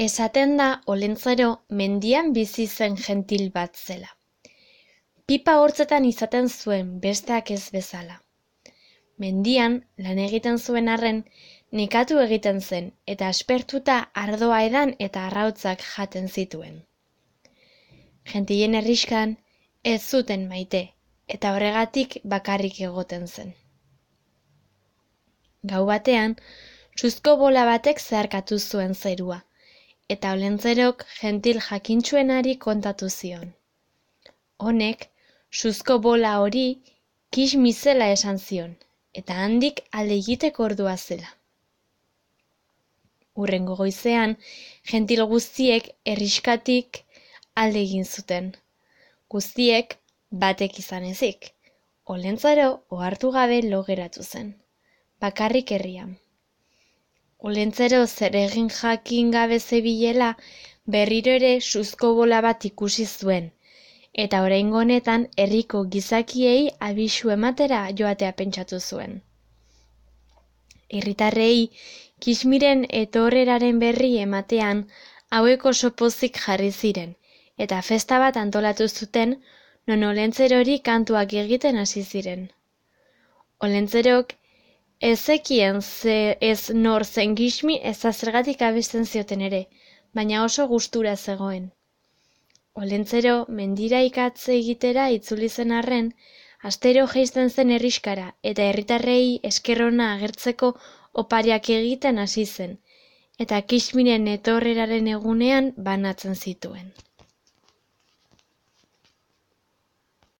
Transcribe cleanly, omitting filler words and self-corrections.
Esaten da Olentzero mendian bizi zen gentil bat zela. Pipa hortzetan izaten zuen besteak ez bezala. Mendian lan egiten zuen arren, nekatu egiten zen eta aspertuta ardoa edan eta arrautzak jaten zituen. Gentilen herrixkan ez zuten maite eta horregatik bakarrik egoten zen. Gau batean, suzko bola batek zeharkatu zuen zerua, eta Olentzerok gentil jakintsuenari kontatu zion. Honek, suzko bola hori kismi zela esan zion, eta handik alde egiteko ordua zela. Hurrengo goizean, gentil guztiek herrixkatik alde egin zuten. Guztiek batek izan ezik. Olentzero ohartu gabe lo geratu zen, bakarrik herrian. Olentzero zer egin jakin gabe zebilela, berriro ere suzko bola bat ikusi zuen, eta oraingo honetan herriko gizakiei abisu ematera joatea pentsatu zuen. Herritarrei kismiren etorreraren berri ematean hauek oso pozik jarri ziren, eta festa bat antolatu zuten non Olentzerori kantuak egiten hasi ziren. Olentzerok ez zekien ez nor zen kismi ez zergatik abesten zioten ere, baina oso gustura zegoen. Olentzero mendira ikatze egitera itzuli zen arren, astero jaisten zen herrixkara eta herritarrei esker ona agertzeko opariak egiten hasi zen, eta kismiren etorreraren egunean banatzen zituen.